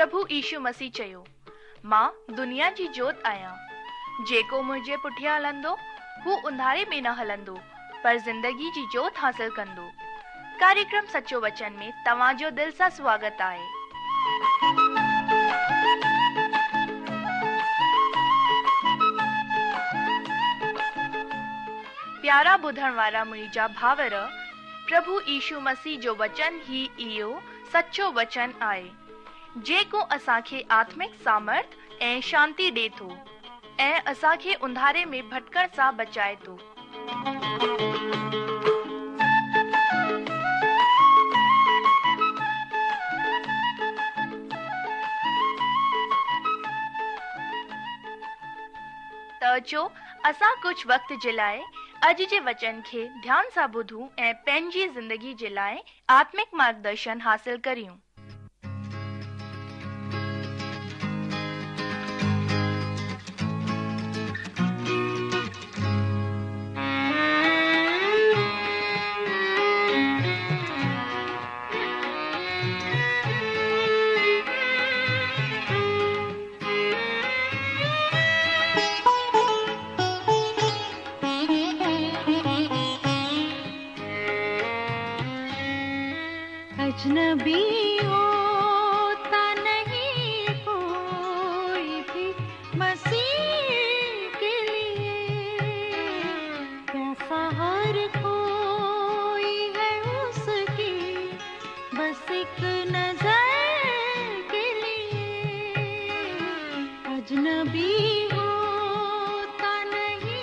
پرڀو يشو مسيح چيو، مان دنيا جي جوت آهيان. جيڪو منهنجي پٺيان هلندو، هو انڌاري ۾ نه هلندو، پر زندگي جي جوت حاصل ڪندو. ڪاريڪرم سچو وچن ۾ توهان جو دل سان سواگت آهي. پيارا ٻڌڻ وارا منهنجا ڀائر، پرڀو يشو مسيح جو وچن ئي اهو سچو وچن آهي، جيڪو اسان کي آتمڪ سامرٿ ۽ شانتي ڏي ٿو ۽ اسان کي انڌاري ۾ ڀٽڪڻ سان بچائي ٿو. ته اچو اسان ڪجهه وقت جي لاء اڄ جي وچن کي ڌيان سان ٻڌون ۽ پنهنجي زندگي جي لاء آتمڪ مارگدرشن حاصل ڪريون. अजनबी होता नहीं कोई भी मसीह के लिए, प्यासा हर कोई है उसकी बस एक नजर के लिए। अजनबी होता नहीं।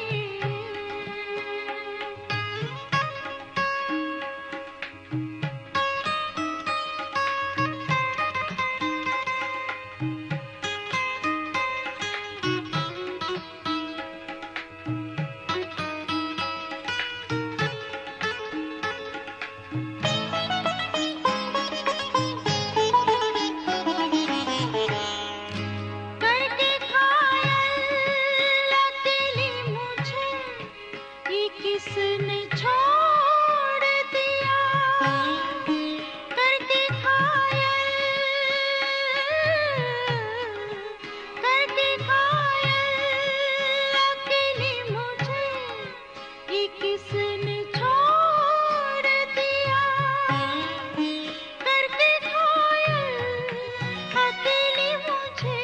करके घायल अकेली मुझे ये किसने छोड़ दिया, करके घायल, करके घायल अकेली मुझे ये किसने छोड़ दिया, करके घायल अकेली मुझे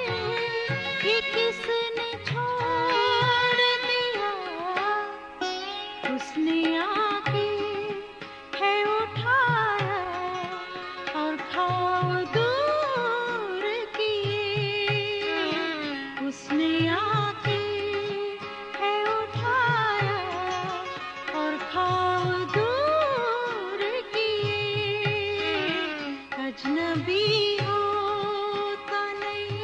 ये किसने छोड़ दिया। उसने आके है उठाया और घाव दूर किए, उसने आके है उठाया और घाव दूर किए। अजनबी होता नहीं।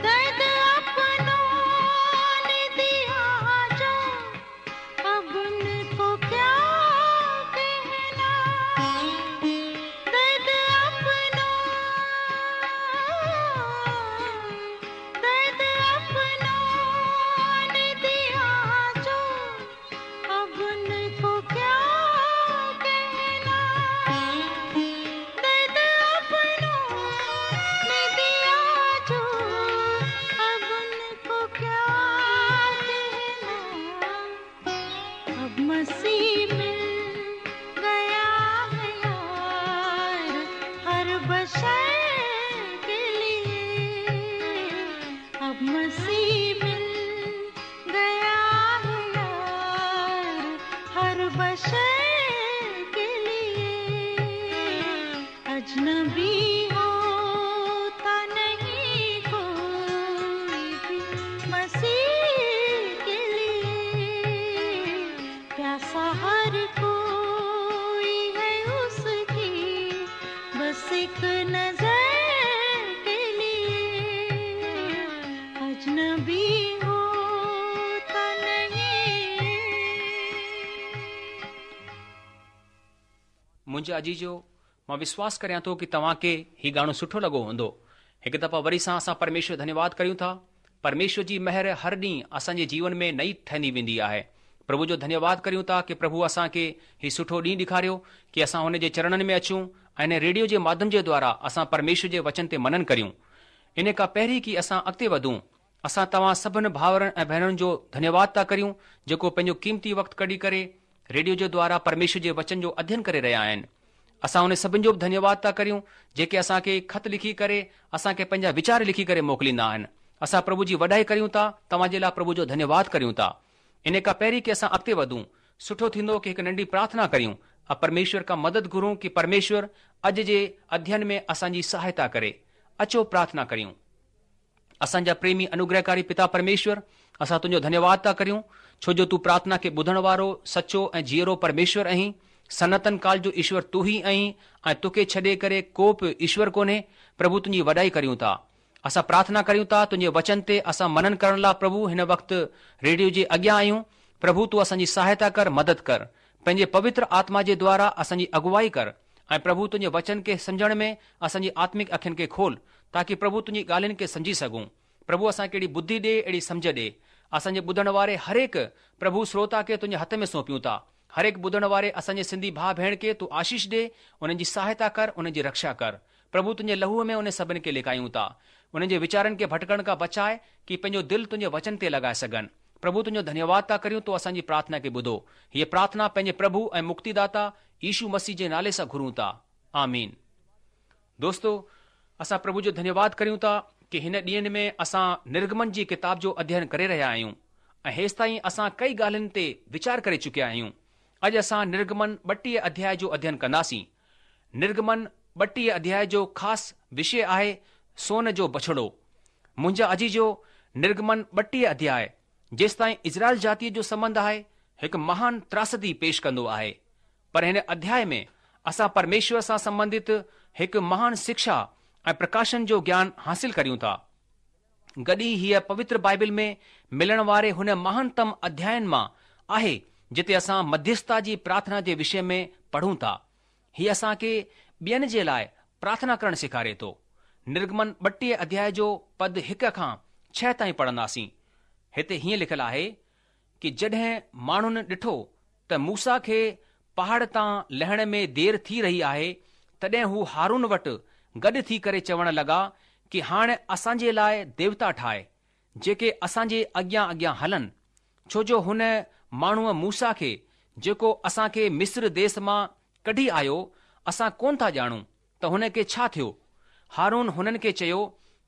दर्द अपना منهنجا عزيزو، مان وشواس ڪريان ٿو ڪي توهان کي هي گانو سٺو لڳو هوندو. هڪ دفعا وري سان اسان پرميشور جو ڌنيواد ڪريون ٿا. پرميشور جي مهر هر ڏينهن اسان جي جيون ۾ نئي ٺهندي ويندي آهي. پرڀو جو ڌنيواد ڪريون ٿا ڪي پرڀو اسان کي هي سٺو ڏينهن ڏيکاريو ڪي اسان هن جي چرڻن ۾ اچون ۽ هن ريڊيو جي ماڌيم جي دوارا اسان پرميشور جي وچن تي منن ڪريون. ان کان پهرين ڪي اسان اڳتي وڌون اسان توهان سڀن ڀائرن ۽ ڀينرن جو ڌنيواد ٿا ڪريون جيڪو پنهنجو قيمتي وقت ڪڍي ڪري ريڊيو جي دوارا پرميشور جي وچن جو اڌين ڪري رهيا آهن. اسان انهن سڀن جو به ڌنيواد ٿا ڪريون جيڪي اسان کي خط لکي ڪري اسان کي پنهنجا ويچار لکي ڪري موڪليندا آهن. اسان پرڀو جي وڏائي ڪريون ٿا توهان جي لاء پرڀو جو ڌنيواد ڪريون ٿا. انهي کان پهرين ڪي اسان اڳتي وڌون سٺو ٿيندو ڪي هڪ ننڍي پرارٿنا ڪريون ۽ پرميشور کان مدد گهرون ڪي پرميشور اڄ جي اڌين ۾ اسان جي سهائتا ڪري. اچو پرارٿنا ڪريون. اسان جا پريمي انوگرهڪاري پتا پرميشور، اسان تنهنجو ڌنيواد ٿا ڪريون، ڇو جو تون پرارٿنا کي ٻڌڻ وارو، سچو ۽ جيئرو پرميشور آهين. سناتن ڪال جو ايشور تون ئي آهين ۽ توکي ڇڏي ڪري ڪو به ايشور ڪونهي. پرڀو تنهنجي وڏائي ڪريون ٿا. اسان پرارٿنا ڪريون ٿا، تنهنجي وچن تي اسان منن ڪرڻ لاء پرڀو هن وقت ريڊيو جي اڳيان آهيون. پرڀو تون اسان جي سهائتا ڪر، مدد ڪر. پنهنجي پوتر آتما جي دوارا اسان جي اڳوائي ڪر. ۽ پرڀو تنهنجي وچن کي سمجهڻ ۾ اسان جي آتمڪ اکين کي کول، تاڪي پرڀو تنهنجي ڳالهين کي سمجهي سگهون. پرڀو اسان کي اهڙي ٻڌي ڏي، اهڙي سمجهه ڏي. اسان جي ٻڌڻ واري هرهڪ پرڀو شروتا کي تنهنجي هٿ ۾ سونپيون ٿا. هرهڪ ٻڌڻ واري اسان جي سنڌي ڀاء ڀيڻ کي تون آشيش ڏي، انهن جي سهائتا ڪر، انهن جي رڪشا ڪر. پرڀو تنهنجي لهوء ۾ انهن سڀن کي لڪايون ٿا. انهن جي ويچارن کي ڀٽڪڻ کان بچاء، ڪي پنهنجو دل تنهنجي وچن تي لڳائي سگهن. پرڀو تنهنجو ڌنيواد ٿا ڪريون تو اسان جي پرارٿنا کي ٻڌو. هيء پرارٿنا پنهنجي پرڀو ۽ مڪتيداتا يشو مسيح جي نالي سان گهرون ٿا. آمين. دوستو اسان پرڀو جو ڌنيواد ڪريون ٿا ڪي هن ڏينهن ۾ اسان نرگمن جي ڪتاب جو اڌين ڪري رهيا آهيون ۽ هيستائين اسان ڪئي ڳالهين تي ويچار ڪري چڪيا آهيون. اڄ اسان نرگمن 32 اڌياء جو اڌين ڪنداسين. نرگمن 32 اڌياء جو خاص وشي آهي سون جو بڇڙو. منهنجا عزيزو نرگمن 32 اڌياء جيستائين اسرائيل جاتيء جو سنٻنڌ آهي، هڪ مهان تراسدي پيش ڪندو آهي. پر هن اڌياء ۾ اسان پرميشور سان سنٻنڌت هڪ مهان شکشا ۽ پرڪاشن جو گيان حاصل ڪريون ٿا. گڏ ئي هيء پوتر بائبل ۾ ملڻ واري هن مهانتم اڌيائن مان آهي جتي اسان مڌيسٿتا جي پرارٿنا جي وشي ۾ پڙهون ٿا. هي اسان کي ٻين جي لاء پرارٿنا ڪرڻ سيکاري ٿو. نرگمن 32 اڌياء جو پد هڪ کان ڇهه تائين پڙهنداسين. هتي هيئن لکيل آهي ڪي جڏهن ماڻهن ڏٺو ته موسيٰ کي پهاڙ تان لهڻ ۾ دير ٿي رهي آهي تڏهن هو هارون وٽ گڏ ٿي ڪري چوڻ لڳا ڪي هاڻ اسان جي لاء ديوتا ٺاهه جيڪي اسان جي اڳيان اڳيان هلن، ڇو جو هن ماڻهوء موسيٰ کي، جيڪو اسان کي مصر ديس مان ڪڍي آيو، اسان ڪونه ٿا ڄاڻون ته هن کي ڇا ٿيو. هارون هنن کي چيو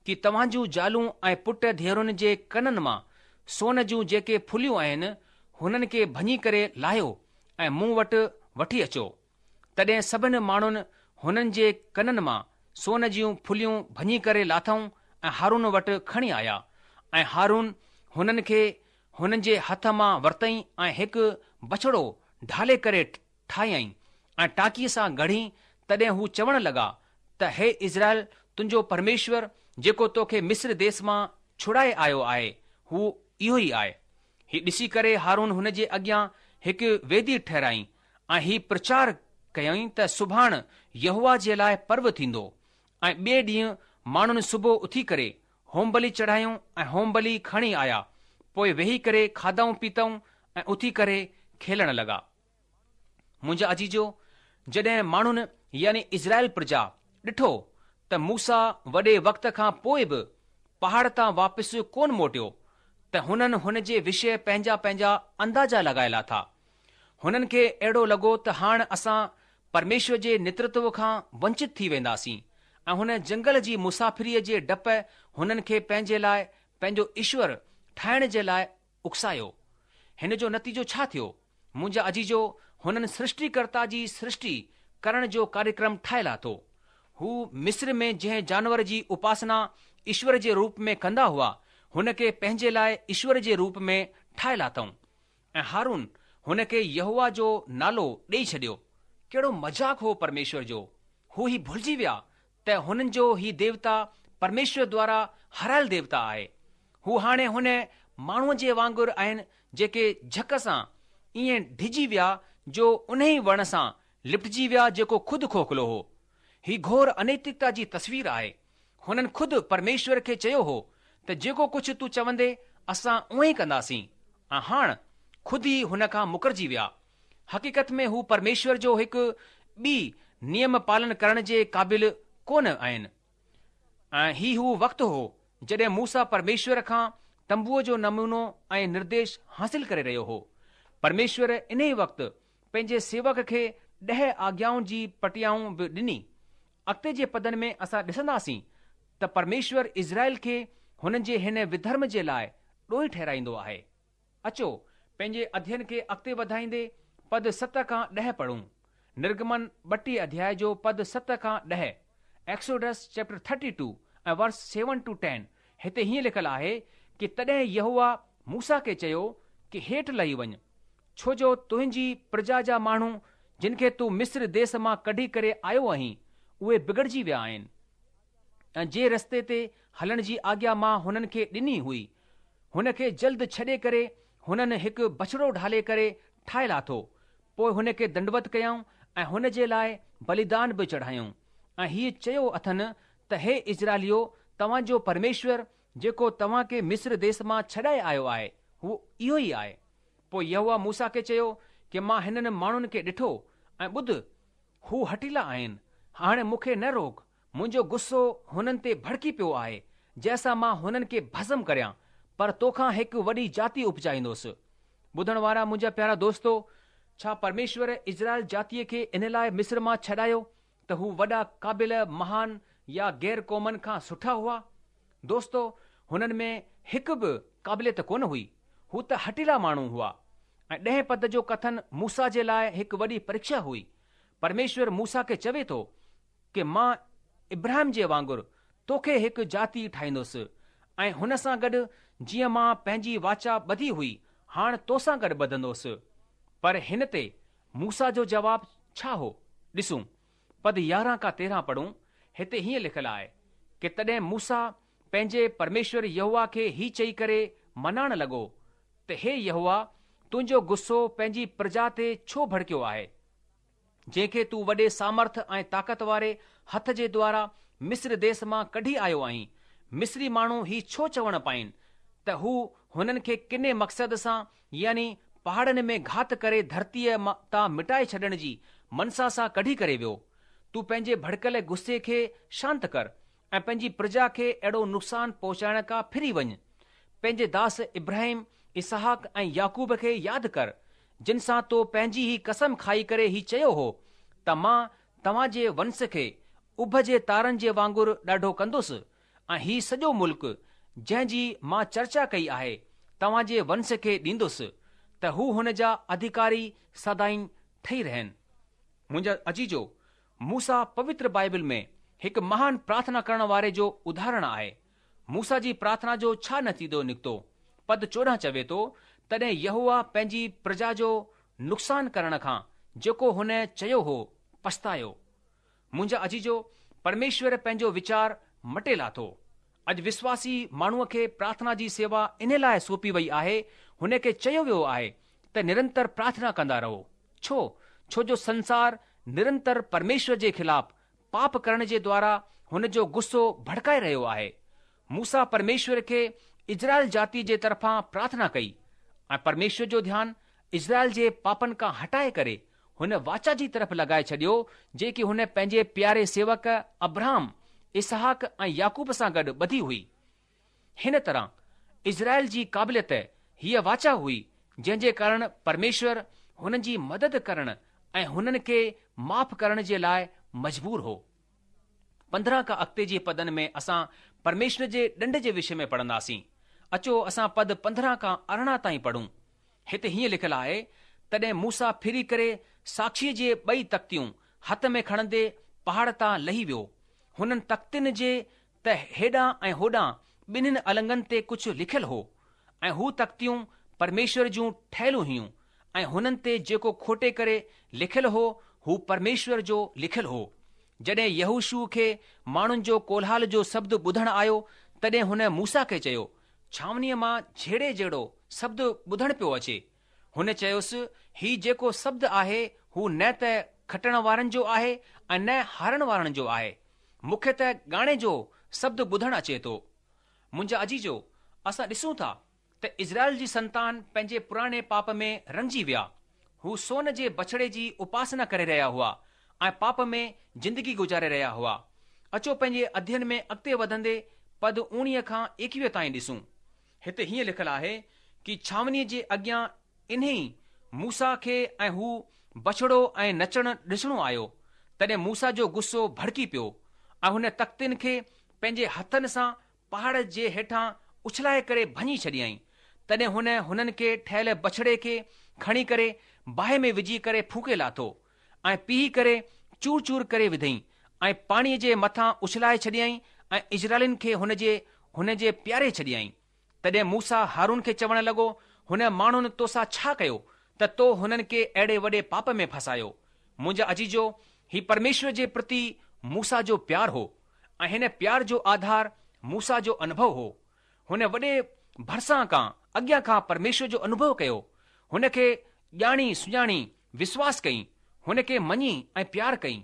ڪي توهان جون زالون ۽ پٽ ڌيئرن جي ڪنن مان سون جون جيڪي ڦليون آهن، هنن کي ڀڃي ڪري لاهيو ۽ مون وٽ وٺي اچو. تڏهن سڀن ماڻهن هنن جي ڪنن مان سون جون ڦليون ڀڃي ڪري لاٿائون ۽ هارون وٽ کڻي آيا، ۽ هارون هنن کي هنن جي هٿ مان ورتئين ۽ هڪ بڇڙو ڍالي ڪري ٺاهيائين ۽ ٽاڪي سان گهڙي، تڏهن هو چوڻ لڳا ته هي اسرائيل تنهنجو پرميشور جيڪو توکي مصر ديس مان ڇڙائي آيو آهي، هو اهو ئي آهي. هي ڏسي ڪري هارون هن جي اڳيان هڪ ويدي ٺهرائين ۽ هي پرچار ڪيائين ته سڀاڻ يهوه جي لاء پرو ٿيندو. ۽ ٻئي ڏينهن ماڻهن صبح اٿي ڪري هوم بلي چڙهايون ۽ هوم بلي کڻي آيا، پوء ويهي ڪري کاڌائون پيتائون ۽ اٿي ڪري کيلڻ لڳا. منهنجا عزيزو، جڏهن ماڻهن يعني اسرائيل پرجا ڏٺو ته موسيٰ وڏي وقت کان پوء به پهاڙ تان واپس ڪونه موٽيو ته هنن هن جي وشيه پنهنجا پنهنجا اندازا لڳائي لاٿا. هنن کي اهڙو لڳو ته هاڻ اسان پرميشور جي نيترتو کان ونچت ٿي وينداسين ۽ هن جنگل جي مسافريء جي ڊپ هنن کي پنهنجي لاء پنهنجو ايشور ٺاهڻ جي لاء اڪسايو. هن جو نتيجو ڇا ٿيو؟ منهنجا عزيزو، هنن سرشٽيڪرتا جي سرشٽي ڪرڻ جو ڪاريڪرم ٺاهي لاٿو. هو مصر ۾ جنهن جانور جي اپاسنا ايشور جي روپ ۾ ڪندا هئا، هن کي پنهنجي لاء ايشور جي روپ ۾ ٺاهي لاٿائون. ۽ هارون هن کي يهوه جو نالو ڏيئي ڇڏيو. ڪهڙو مذاق هو پرميشور جو! هو هي ڀلجي ويا ته هنن جو هي ديوتا پرميشور دوارا هارايل ديوتا آهي. هو هاڻي هن ماڻهوء جي وانگر آهن جيڪي جهڪ سان ائين ڊڄي ويا جو انهي وڻ سان لپٽجي ويا جيڪو خود کوکلو هو. هي گهور انيتڪتا جي تصوير آهي. هنن خود پرميشور کي چيو هو ته جيڪو ڪجهه تون چوندي اسان اونئين ئي ڪنداسين ۽ هاڻ خود ئي هن کان مڪرجي ويا. حقيقت ۾ هو پرميشور جو هڪ به نيم پالن ڪرڻ جي قابل ڪونه آهن. ۽ هي هو وقت هو جڏهن موسيٰ پرميشور کان تنبوء جو نمونو ۽ نرديش حاصل ڪري رهيو هو. پرميشور انهي وقت پنهنجي سيوڪ کي ڏهه آگيائن جي پٽيائون به ڏني. اڳتي جي پدن ۾ اسان ڏسنداسين ته پرميشور اسرائيل کي هنن جي هن وڌرم جي لاء ڏوهي ٺهرائيندو آهي. اچو، پنهنجي اڌين کي اڳتي وڌائيندي پد ست کان ڏهه پڙهون. نرگمن 32 اڌياء جو پد ست کان ڏهه، Exodus chapter 32 ۽ verse 7 to 10، هتي هيئن لکيل آهي ڪي تڏهن يهوه موسيٰ کي چيو ڪي هيٺ لهي وڃ، ڇو جو تنهنجي پرجا جا ماڻهو جن کي تون مصر ديس مان ڪڍي ڪري آيو آهين، اهي بگڙجي ويا آهن. ۽ جنهن رستي تي هلڻ جي آگيا مان هنن کي ڏني هئي، هن کي جلد ڇڏي ڪري هنن هڪ بڇڙو ڍالي ڪري ٺاهي لاٿو، پوء هن کي دنڊوت ڪيائون ۽ هن جي لاء بليدان به چڙهايائون، ۽ هيء چيو اٿن ته هي اسرائيليو، توهان جو پرميشور، جيڪو توهان کي مصر ديس مان ڇڏائي آيو آهي، هو اهو ئي آهي. پوء يهوه موسيٰ کي چيو ڪي مان هنن ماڻهن کي ڏٺو، ۽ ٻڌ، هو هٺيلا آهن، هاڻي مون کي نه روڪ، منهنجو غصو هنن تي ڀڙڪي پيو آهي، جنهن سان مان هنن کي ڀسم ڪريان، پر توکان هڪ وڏي جاتي اپجائيندس. ٻڌڻ وارا منهنجا پيارا دوستو، ڇا پرميشور اسرائيل جاتيء کي ان لاء مصر مان ڇڏايو ته هو وڏا قابل، مهان يا غير قومن کان سٺا هئا؟ دوستو، هنن ۾ هڪ به قابليت ڪونه هئي. هو ته هٺيلا ماڻهو هئا. ۽ ڏهين پد جو ڪٿن موسيٰ جي لاء هڪ وڏي پريکشا هئي. پرميشور موسيٰ کي چوي ٿو ڪي مان ابراهيم جي وانگر توکي هڪ جاتي ٺاهيندس ۽ هن سان گڏ جيئن مان پنهنجي واچا ٻڌي هئي هاڻ توسان گڏ ٻڌندوس. پر هن تي موسيٰ جو جواب ڇا هو؟ ڏسون، پد 11 کان 13 پڙهون، هتي هيئن لکيل آهي ڪي تڏهن موسيٰ پنهنجي پرميشور يهوه کي هي چئي ڪري منائڻ لڳو ته هي يهوه تنهنجو غصو پنهنجي پرجا تي ڇو ڀڙڪيو آهي؟ جنهن کي تون وڏي سامرٿ ۽ طاقت واري هٿ جي دوارا مصر ديس مان ڪڍي آيو آهين، مصري ماڻهو هي ڇو چوڻ پائين ته هو هنن کي ڪني مقصد سان يعني پهاڙن ۾ گهات ڪري ڌرتيء تان مٽائي ڇڏڻ جي منسا سان ڪڍي ڪري ويو؟ تون پنهنجي ڀڙڪيل غصي کي شانت ڪر ۽ پنهنجي پرجا کي اهڙو نقصان پهچائڻ کان ڦري وڃ. پنهنجي داس ابراهيم، اسحاق ۽ يعقوب کي ياد ڪر، جن سان تو پنهنجي ئي قسم کائي ڪري هي چيو هو ته مان توهان جي ونس کي اڀ جي تارن جي وانگر ڏاڍو ڪندس ۽ هي سڄو ملڪ جنهن جي مان چرچا ڪئي آهي، توهان جي ونس کي ڏيندس ته هو هن جا اڌڪاري سدائين ٺهي رهن. منهنجا عزيزو، موسيٰ پوتر بائبل ۾ هڪ مهان پرارٿنا ڪرڻ واري جو اداهرڻ آهي. موسيٰ جي پرارٿنا جو ڇا نتيجو نڪتو؟ پد 14 چوي ٿو، تڏهن يهوه پنهنجي پرجا جو نقصان ڪرڻ کان جيڪو هن چيو هو، پڇتايو. منهنجا عزيزو، پرميشور پنهنجو ويچار مٽي لاٿو. اڄ وشواسي ماڻهوء کي پرارٿنا جي سيوا انهي لاء سونپي وئي آهي، هن کي چيو ويو آهي ته نرنتر پرارٿنا ڪندا رهو. ڇو؟ ڇو جو سنسار نرنتر پرميشور جي خلاف پاپ ڪرڻ جي دوارا هن جو غصو ڀڙڪائي رهيو آهي. موسيٰ پرميشور کي اسرائيل جاتي جي طرفان پرارٿنا ڪئي ۽ پرميشور جو ڌيان اسرائيل جي پاپن کان هٽائي ڪري هن واچا جي طرف لڳائي ڇڏيو جيڪي هن پنهنجي پياري سيوڪ ابرهام، اسحاق ۽ يعقوب سان گڏ ٻڌي هئي. هن طرح اسرائيل جي قابليت هيء واچا هئي، جنهن جي ڪارڻ پرميشور هنن جي مدد ڪرڻ ۽ هنن کي معاف ڪرڻ جي لاء مجبور هو. 15 کان اڳتي جي پدن ۾ اسان پرميشور جي ڏنڊ جي وشي ۾ پڙهنداسين. اچو اسان پد 15 کان 18 تائين پڙهون. هتي هيئن لکيل آهي، تڏهن موسيٰ ڦري ڪري ساکشيء جي ٻئي تختيون هٿ ۾ کڻندي پهاڙ تان لهي ويو. هنن تختين جي ته هيڏانهن ۽ هوڏانهن ٻنهين النگن تي ڪجهه لکيل هو، ۽ هو تختيون پرميشور جون ٺهيل هيون، ۽ هنن تي جيڪو کوٽي ڪري لکيل هو، هو پرميشور جو لکيل هو. جڏهن يهوشوع کي ماڻهن جو ڪولهال جو شبد ٻڌڻ آيو، تڏهن هن موسيٰ کي چيو، ڇانوڻيء مان جهيڙي جهڙو شبد ٻڌڻ پيو اچي. هن چيس، هي جيڪو شبد آهي، هو نه ته کٽڻ وارن جو آهي ۽ نه هارڻ وارن جو آهي. مون کي ته ڳاڻي جو شبد ٻڌڻ اچي ٿو. منهنجا عزيزو، اسان ڏسون ٿا ته اسرائيل جي سنتان پنهنجي پراڻي پاپ ۾ رڱجي ويا. هو سون جي بڇڙي جي اپاسنا ڪري رهيا هئا ۽ پاپ ۾ زندگي گذاري رهيا هئا. اچو پنهنجي اڌيين ۾ اڳتي وڌندي پد اوڻيهه کان ايڪويهه تائين ڏسون. هتي هيئن لکيل آهي ڪي ڇانوڻيء جي اڳيان انهي موسيٰ کي ۽ هو بڇڙو ۽ نچڻ ڏسڻو آيو، تڏهن موسيٰ جو غصو ڀڙڪي پيو ۽ هن تختين کي پنهنجي هٿن سان پهاڙ جي هيٺان اڇلائي ڪري ڀڃي ڇڏيائين. تڏهن هن هنن کي ٺهيل بڇڙي کي کڻي ڪري باهه ۾ وجهي ڪري ڦوڪي لاٿو ۽ پيهي ڪري چور چور ڪري وڌئين ۽ پاڻيء جي مٿان اڇلائي ڇڏيائين ۽ اسرائيلين کي هن جي هن جي پياري ڇڏيائين. تڏهن موسيٰ هارون کي چوڻ لڳو، هن ماڻهن توسان ڇا ڪيو ته تو هنن کي اهڙي وڏي پاپ ۾ ڦاسايو؟ منهنجا عزيزو، هي پرميشور جي پرتي موسيٰ جو پيار هو ۽ هن پيار جو آڌار موسيٰ جو انوڀو هو. هن وڏي ڀرسان کان، اڳيان کان پرميشور جو انوڀو ڪيو. هن کي ڄاڻي سڃاڻي وشواس ڪئين، هن کي مڃي ۽ پيار ڪئين.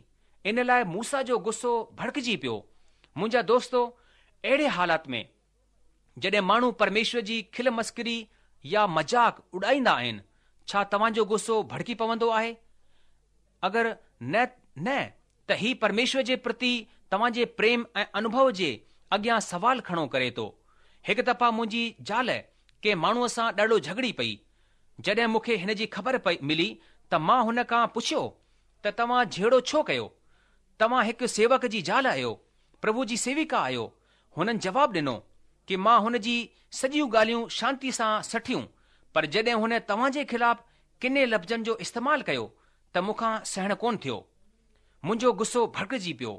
ان لاء موسيٰ جو غصو ڀڙڪجي پيو. منهنجا دوستو، اهڙي حالات ۾. جڏهن ماڻهو پرميشور جي کل مسخري يا مذاق اڏائيندا آهن، ڇا توهان جو غصو ڀڙڪي پوندو آهي؟ اگر نه نه ته هي پرميشور جي پرتي توهان جي پريم ۽ انوڀو جي اڳيان سوال کڙو ڪري ٿو. هڪ دفعا منهنجي زال ڪنهن ماڻهوء سان ڏاڍو جهڳڙي پئي. جڏهن مون کي هن جي خبر ملي ته مان هن کان پڇيو ته توهان جهيڙو ڇو ڪيو؟ توهان هڪ سيوڪ جي زال آهيو، پرڀو جي سيويڪا آهيو، هنن جواب ڏنو ڪي مان هن جي سڄيون ڳالهيون شانتي سان سٺيون پر جڏهن هن توهان جي خلاف ڪني لفظن جو استعمال ڪيو ته مون کان سهڻ ڪونه ٿيو. منهنجو غصو ڀڙڪجي پيو.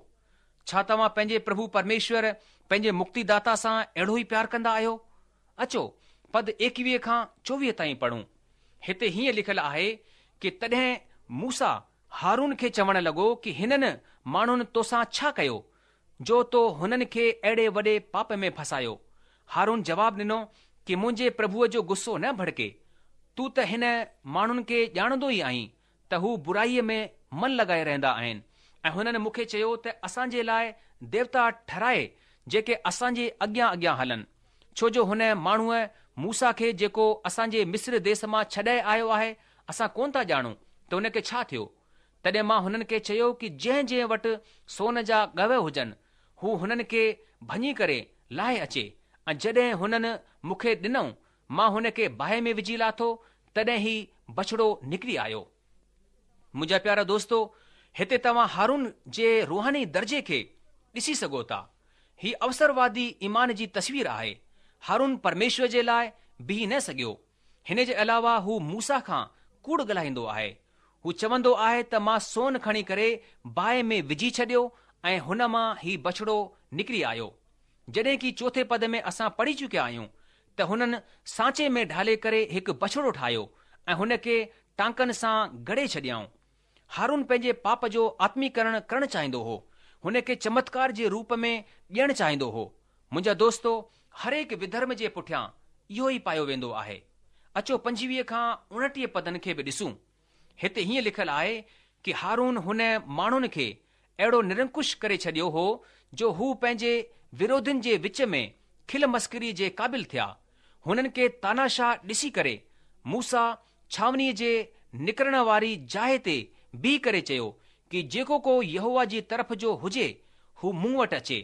ڇا توهان پنهنجي پرڀو پرميشور پنهنجي مڪتي داتا سان اهڙو ئي پيار ڪندا آهيو؟ اچو پد ايڪويهه کان چوويهه تائين پڙهون. هتي هيئن لکيل آهي ڪي تڏهن موسيٰ هارون کي چوڻ لڳو ڪي هنن ماڻهن توسان ڇا ڪيو جو تو هنن کي اهڙي وڏي پاپ ۾ ڦاسايو. هارون جواب ڏنو ڪي منهنجي پرڀوء جو غصو نه ڀڙڪي. تون ته هن ماڻهن کي ڄاڻندو ئي آهين ته هو برائيء ۾ من لڳائي رهندا آهن ۽ هنن مون کي چيو ته اسان جي لاء ديوتا ٺهرائي جيڪي اسان جي اڳيان اڳيان هلن. ڇو جو هن ماڻهوء موسيٰ کي جيڪو اسان جي مصر ديس مان ڇڏائي آيو آهي اسان ڪونه ٿا ڄاڻون ته هن کي ڇا ٿيو. تڏهن مان هنن کي چيو ڪي جنهن جنهن وٽ سون جا ڳو هجن، هو هنن کي ڀڃي ڪري لاهي اچي ۽ جڏهن هنن مون کي ڏنو، مان هن کي باهه ۾ وجهي لاٿو، تڏهن هي بڇڙو نڪري آيو. منهنجا پيارا دوستو، هتي توهان هارون جي روحاني درجي کي ڏسي سگهو ٿا. هي اوسروادي ايمان جي تصوير آهي. هارون پرميشور جي لاء بيهي نه سگهيو. هن جي علاوه هو موسيٰ کان ڪوڙ ڳالهائيندو آهي. هو چوندو آهي ته مان سون کڻي ڪري باهه ۾ وجهي ڇڏيو ۽ هن مان هي بڇڙو نڪري آيو. جڏهن ڪي چوٿين پد ۾ اسان پڙهي چڪيا آهيون ته هنن سانچي ۾ ڍالي ڪري هڪ بڇڙو ٺاهيو ۽ هن کي ٽانڪن سان گهڙي ڇڏيائون. هارون پنهنجي پاپ جو آتميڪرڻ ڪرڻ چاهيندو هو. هن کي چمتڪار جي روپ ۾ ڏيڻ چاهيندو هو. منهنجا دوستو، هرهڪ وڌرم جي پٺيان اهو ئي پايو ويندو آهي. اچو 25 کان 29 پدن کي به ڏسون. هتي هيئن لکيل آهي ڪي هارون هن ماڻهن کي اهڙو نرنڪش ڪري ڇڏيو هو جو هو پنهنجي وروڌين جي وچ ۾ کل مسخري جي قابل ٿيا. هنن کي تاناشاهه ڏسي ڪري موسيٰ ڇانوڻيء جي نڪرڻ واري جاء تي بيهي ڪري چيو ڪي جيڪو ڪو يهوه جي طرف جو هجي هو مون وٽ اچي.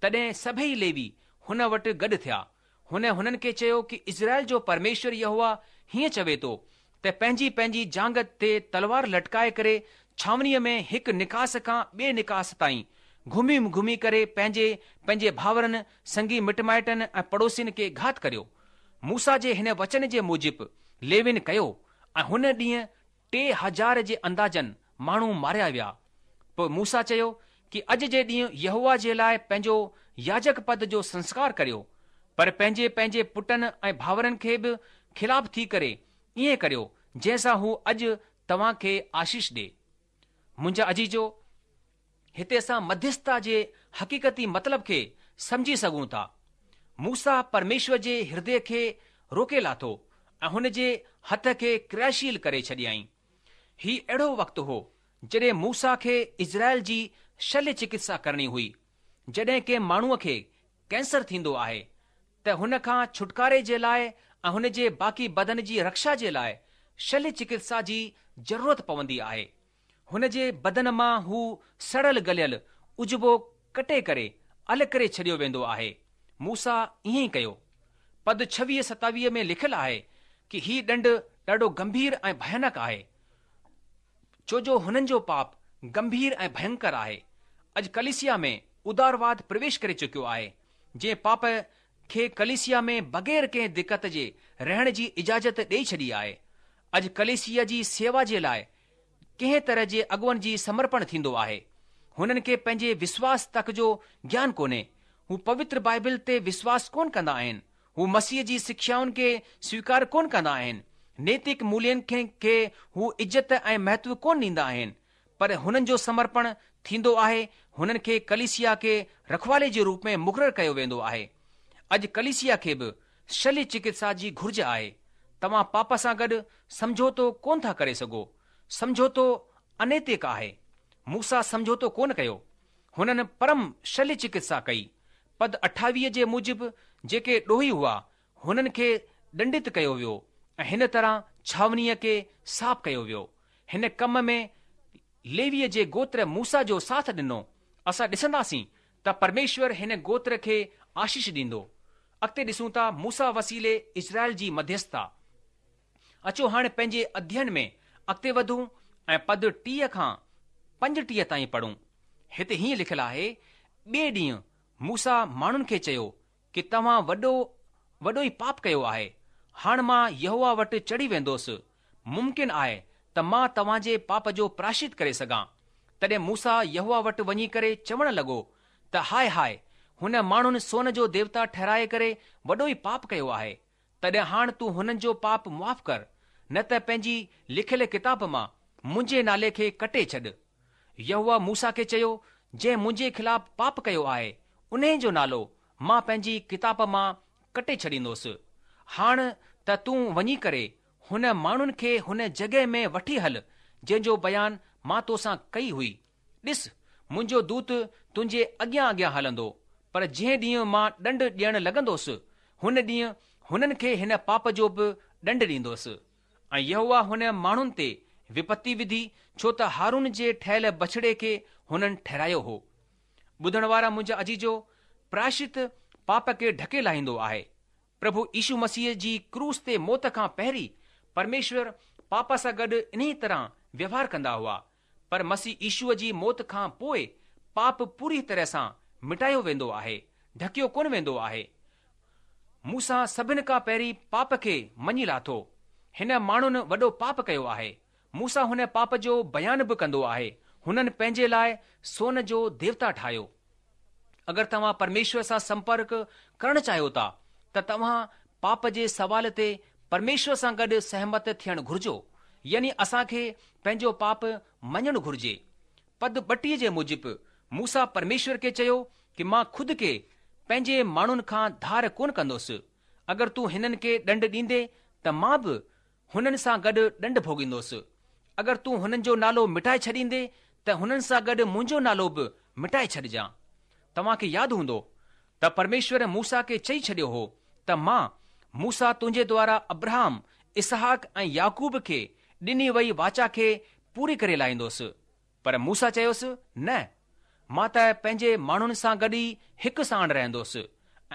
تڏهن سڀئي ليوي هن وٽ گڏ ٿيا. هن هنن کي چيو ڪي اسرائيل جو پرميشور يهوه هيئن چوي ٿو ته پنهنجي پنهنجي جانگهه تي تلوار لٽڪائي ڪري ڇانوڻيء ۾ هڪ نڪاس کان ٻئي نڪاس تائين گهمي گهمي ڪري پنهنجي پنهنجي ڀائرن، سنگي مٽ مائٽن ۽ پڙوسين کي گهات ڪريو. موسيٰ جي هن وچن جي موجب ليوين ڪيو ۽ هن ڏينهن 3000 جي اندازن ماڻهو ماريا ويا. پوء موسيٰ چيو ڪي اڄ جي ڏينهن يهوه جي لاء پنهنجو ياجڪ پد جو سنسڪار ڪريو، پر پنهنجي پنهنجي پٽن ۽ ڀائرن کي به خلاف ٿي ڪري ائين ڪريو جنهن سان هو اڄ توهان کي آشيش ڏي. منهنجا عزيزو! هتي اسان مڌيسٿتا جي حقيقتي مطلب کي سمجهي سگهون ٿا. موسيٰ پرميشور جي هردي کي روڪي لاٿو ۽ هن جي هٿ کي ڪرياشيل ڪري ڇڏيائين. هي اهڙو وقت هو، جڏهن موسيٰ کي اسرائيل جي شليه چڪتسا ڪرڻي هئي. جڏهن ڪنهن ماڻهوء کي ڪينسر ٿيندو آهي ته هن کان ڇوٽڪاري جي لاء ۽ هن جي باقي بدن جي رڪشا جي لاء شليه چڪتسا جي ضرورت پوندي آهي. هن جي بدن مان هو سڙيل گليل عضوو ڪٽي ڪري الڳ ڪري ڇڏيو ويندو آهي. موسيٰ ائين ئي ڪيو. پد ڇويهه ستاويهه ۾ لکيل آهي ڪي هي ڏنڊ ڏاڍو گنڀير ۽ ڀيانڪ آهي. ڇو جو هنن جو پاپ گنڀير ۽ ڀينڪر آهي. اڄ ڪليسيا ۾ ادارواد پرويش ڪري چڪيو آهي، جنهن پاپ کي ڪليسيا ۾ بغير ڪنهن دقت جي رهڻ جي اجازت ڏئي ڇڏي آهي. اڄ ڪليسيا جي سيوا جي لاء ڪنهن طرح جي اڳواڻ جي سمرپڻ ٿيندو آهي. هنن کي پنهنجي وشواس تڪ جو گيان ڪونهي. هو پوتر بائبل تي وشواس ڪونه ڪندا آهن. هو مسيح جي سکيائن کي سويڪار ڪونه ڪندا آهن. نيتڪ مولين کي هو عزت ۽ مهتو ڪونه ڏيندا آهن. پر هنن جو سمرپڻ ٿيندو آهي، هنن کي ڪليسيا کي رکوالي جي روپ ۾ مقرر ڪيو ويندو آهي. اڄ ڪليسيا کي به شليه چڪتسا جي گهرج آهي. توهان پاپ سان گڏ سمجهوتو ڪونه ٿا ڪري سگهو. سمجهوتو انيتڪ آهي. موسيٰ سمجهوتو ڪونه ڪيو. هنن پرم شليه چڪتسا ڪئي. پد 28 جي موجب جيڪي ڏوهي هئا، هنن کي ڏنڊت ڪيو ويو ۽ هن طرح ڇانوڻيء کي صاف ڪيو ويو. هن ڪم ۾ ليويء جي گوتر موسيٰ جو ساٿ ڏنو. اسان ڏسنداسين ته پرميشور هن گوتر کي آشيش ڏيندو. اڳتي ڏسون ٿا موسيٰ وسيلي اسرائيل جي مڌيسٿتا. اچو هاڻي پنهنجي اڌيين ۾ اڳتي وڌون ۽ پد 30 کان 35 تائين پڙهون. هتي هيئن لکيل آهي، ٻئي ڏينهن موسيٰ ماڻهن کي چيو ڪي توهان وڏو وڏو ئي پاپ ڪيو آهي. هاڻ مان يهوه وٽ چڙهي ويندوس. ممڪن آهي ته مان توهان جي پاپ جو پراشچت ڪري سگهان. تڏهن موسيٰ يهوه وٽ وڃي ڪري چوڻ لڳو ته هاء هاء، هن ماڻهن سون جو ديوتا ٺهرائي ڪري وڏو ئي پاپ ڪيو آهي. تڏهن هاڻ تون هنن جو پاپ معاف ڪر، نه ته پنهنجي لکيل ڪتاب مان منهنجي نالي کي ڪٽي ڇڏ. يهوه موسيٰ کي چيو، جنهن منهنجي خلاف پاپ ڪيو آهي، انهي جو نالو مان پنهنجي ڪتاب مان ڪٽي ڇڏيندوس. هاڻ ته تون وڃي ڪري هن ماڻهن کي هن جڳهه ۾ وٺي هل، جنهن جو بيان مان توسان ڪئي هئي. ڏس، منهنجو دوت تنهنجي اڳيان اڳيان هلندو، پر جنهن ڏينهن مان ڏنڊ ڏيڻ لڳندوس، هن ڏينهن هنن کي هن پاپ جو به ڏنڊ ڏيندوس. ۽ يهوه هن ماڻهن تي وپتي وڌي، ڇو ته هارون جي ٺهيل بڇڙي کي هنن ٺهرايو هو. ٻڌڻ وارا منهنجا عزيزو، پراشچت پاپ کي ڍڪي لاهيندو آهي. پرڀو يشو مسيح جي ڪروس تي موت کان پهرين پرميشور پاپ سان گڏ انهيء طرح ويوهار ڪندا هئا، پر مسيح يشوء جي موت کان پوء پاپ پوريء طرح سان مٽايو ويندو آهي، ڍڪيو ڪونه ويندو آهي. موسيٰ سڀن کان پهرين پاپ کي مڃي لاٿو. هن ماڻهن وڏو پاپ ڪيو آهي. موسيٰ هن پاپ جو بيان به ڪندو آهي. هنن پنهنجي لاء سون جو ديوتا ٺاهيو. اگر توهان پرميشور سان سمپرڪ ڪرڻ چاهيو ٿا ته توهان پاپ جي سوال تي پرميشور سان گڏ سهمت ٿيڻ گهرجو، يعني اسان کي پنهنجو پاپ مڃڻ گهرجي. پد 32 جي موجب موسيٰ پرميشور کي چيو ڪي مان خود کي پنهنجي ماڻهن کان ڌار ڪونه ڪندوس. اگر تون هنن کي ڏنڊ ڏيندي ته مان به هنن سان گڏ ڏنڊ ڀوڳيندوس. اگر تون هنن جو نالو مٽائي ڇڏيندي ته هنن سان گڏ منهنجو نالو به مٽائي ڇڏجان. توهان کي ياد هوندو ته پرميشور موسيٰ کي چئي ڇڏيو هو ته مان، موسيٰ تنهنجي دوارا ابرهام، اسحاق ۽ يعقوب کي ڏني وئي واچا کي پوري ڪري لاهيندوس. پر موسيٰ چيس، نه، مان ته پنهنجي ماڻهن سان گڏ ئي هڪ ساڻ رهندوس ۽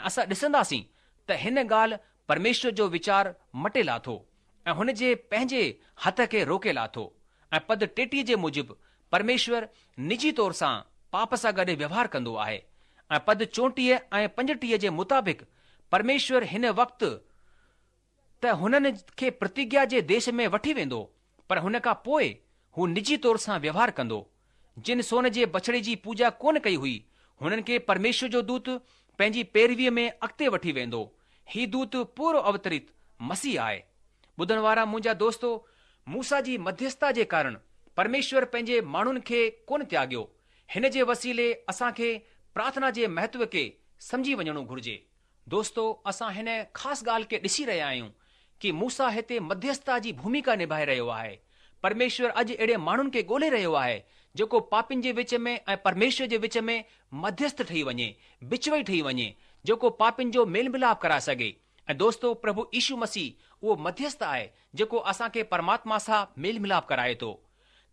اسان ڏسنداسين ته هن ڳالهه پرميشور جو ويچار مٽي لاٿو ۽ هن جي پنهنجي هٿ کي روڪي لاٿو ۽ پد 33 جي موجب پرميشور نجي طور سان پاپ سان گڏ ويوهار ڪندو آهي ۽ پد 34 ۽ 35 جي مطابق پرميشور هن وقت ته هنن کي پرتگيا جي ديش ۾ وٺي ويندو، پر هن کان پوء هو نجي طور سان ويوهار ڪندو. جن سون جي بڇڙي جي پوڄا ڪونه ڪئي هئي، هنن کي پرميشور جو دوت پنهنجي پيرويء ۾ اڳتي وٺي ويندو. هي دوت پورو اوترت مسيح آهي. ٻڌڻ وارا منهنجا دوستو، موسيٰ جي مڌيسٿتا جي ڪارڻ پرميشور پنهنجي ماڻهن کي ڪونه تياڳيو. هن جي وسيلي اسان کي پرارٿنا جي مهتو کي سمجهي وڃڻو گهرجي. دوستو اسان هن خاص ڳالهه کي ڏسي رهيا آهيون ڪي موسيٰ هتي مڌيسٿتا جي ڀوميڪا نڀائي رهيو آهي. پرميشور اڄ اهڙي ماڻهن کي ڳولي رهيو آهي، جيڪو پاپين جي وچ ۾ ۽ پرميشور جي وچ ۾ مڌيسٿ ٺهي وڃي، بچوئي ٺهي وڃي، جيڪو پاپين جو ميل ملاپ ڪرائي سگهي. ۽ دوستو پرڀو يشو مسيح اهو مڌيسٿ آهي، جيڪو اسان کي پرماتما سان ميل ملاپ ڪرائي ٿو.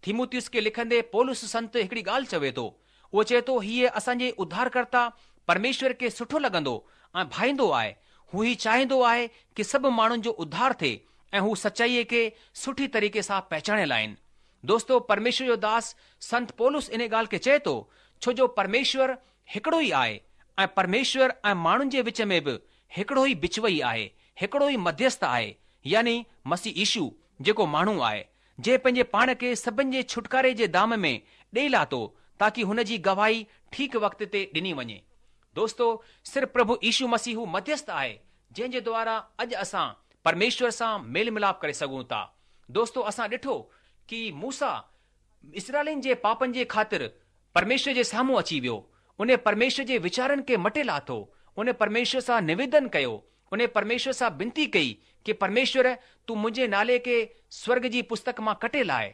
تيمٿيوس کي لکندي پولس سنت هڪڙي ڳالهه چوي ٿو. اهو چئي ٿو، هيء اسان جي اڌارڪرتا پرميشور کي سٺو لڳندو ۽ ڀائيندو آهي. هو هي چاهيندو آهي ڪي سڀ ماڻهن جو اڌار ٿئي ۽ هو سچائيء کي سٺي طريقي سان پهچاڻي لاهين. دوستو، پرميشور جو داس سنت پولس انهي ڳالهه کي چئي ٿو، ڇو جو پرميشور هڪڙو ئي آهي ۽ پرميشور ۽ ماڻهن جي وچ ۾ به هڪڙو ئي بچوئي آهي، هڪڙو ئي مڌيسٿ آهي، يعني مسيح يشو، جيڪو ماڻهو آهي. جنهن پنهنجي پاڻ کي سڀن جي ڇوٽڪاري جي دام ۾ ڏيئي لاٿو تاڪي هن جي گواهي ٺيڪ وقت تي ڏني وڃي. دوستو، صرف پرڀو يشو مسيح هو مڌيسٿ آهي جنهن جي دوارا اڄ اسان پرميشور سان ميل ملاپ ڪري سگهون ٿا. دوستو، اسان ڏٺو ڪي موسيٰ اسرائيلين جي پاپن جي خاطر پرميشور جي سامهون اچي ويو. ان پرميشور جي ويچارن کي مٽي لاٿو. ان پرميشور سان نويدن ڪيو. ان پرميشور سان بنتي ڪئي ڪي پرميشور تون منهنجي نالي کي سورڳ جي پستڪ مان ڪٽي لاهه.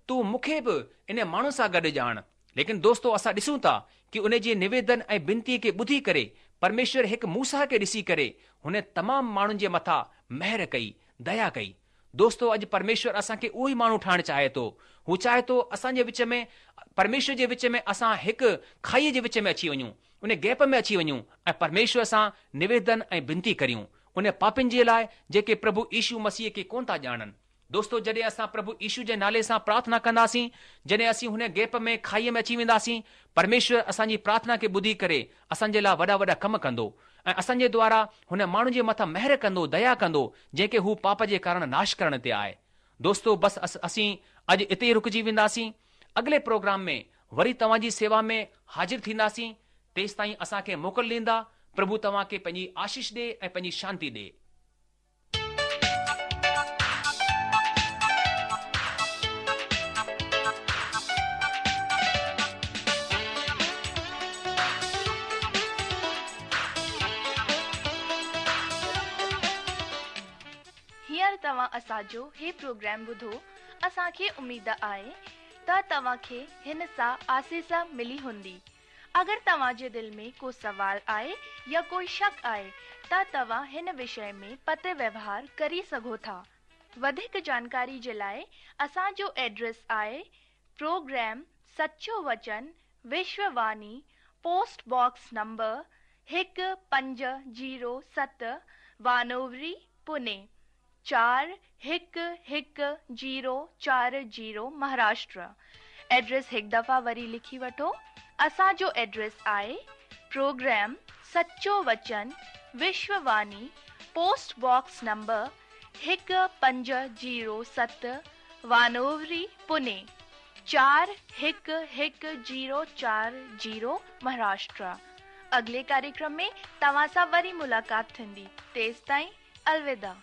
تون مون کي به ان ماڻهن سان گڏ ڄاڻ. ليڪن دوستو اسان ڏسون ٿا ڪي ان جي نويدن ۽ بنتي کي ٻڌي ڪري پرميشور هڪ موسيٰ کي ڏسي ڪري هن تمام ماڻهن جي مٿان مهر ڪئي، ديا ڪئي. دوستو اڄ پرميشور اسان کي اهو ئي ماڻهو ٺاهڻ چاهي ٿو. هو چاهي ٿو اسان جي وچ ۾ پرميشور جي وچ ۾ اسان هڪ کائيء جي وچ ۾ اچي وڃون، ان گيپ ۾ اچي وڃون ۽ پرميشور سان نويدن ۽ بنتي ڪريون ان پاپين جي لاء جيڪي پرڀو يشو مسيح کي ڪونه ٿا ڄاڻن. دوستو جڏهن اسان پرڀو يشو جي نالي سان پرارٿنا ڪنداسين، جڏهن اسين هن گيپ ۾ کائيء ۾ اچي وينداسين، پرميشور اسان جي پرارٿنا کي ٻڌي ڪري اسان جي لاء وڏا وڏا ڪم ڪندو ۽ اسان جي دوارا هن ماڻهو جي مٿان مهر ڪندو، ديا ڪندو، جنهن کي هو پاپ جي ڪارڻ ناش ڪرڻ تي آهي. دوستو بس اسين اڄ اتي ئي رڪجي وينداسين. اڳلي پروگرام ۾ وري توهان جي سيوا ۾ حاضر ٿينداسين. تيستائين اسان کي موڪل ڏيندا. پرڀو توهان کي پنهنجي آشيش ڏي ۽ پنهنجي شانتي ڏي. هينئر توهان اسان جو هي پروگرام ٻڌو، اسان کي اميد آهي ته توهان کي هن سان آسيس ملي هوندي. اگر توهان جي دل ۾ ڪو سوال آهي يا ڪوئي شڪ آهي ته توهان هن وشي ۾ پتر ويوهار ڪري سگهو ٿا. وڌيڪ جانڪاري جي لاء اسان جو ايڊريس آهي program Sacho Vachan Vishwa Vani post box number 1507 Wanowrie Pune 411040 Maharashtra address هڪ دفعا وري لکي وٺو اسان جو ايڊريس آهي program Sacho Vachan Vishwa Vani post box number 1507 Wanowrie Pune 411040 Maharashtra اڳلي ڪاريڪرم ۾ توهان سان وري ملاقات ٿيندي تيستائين الوداع.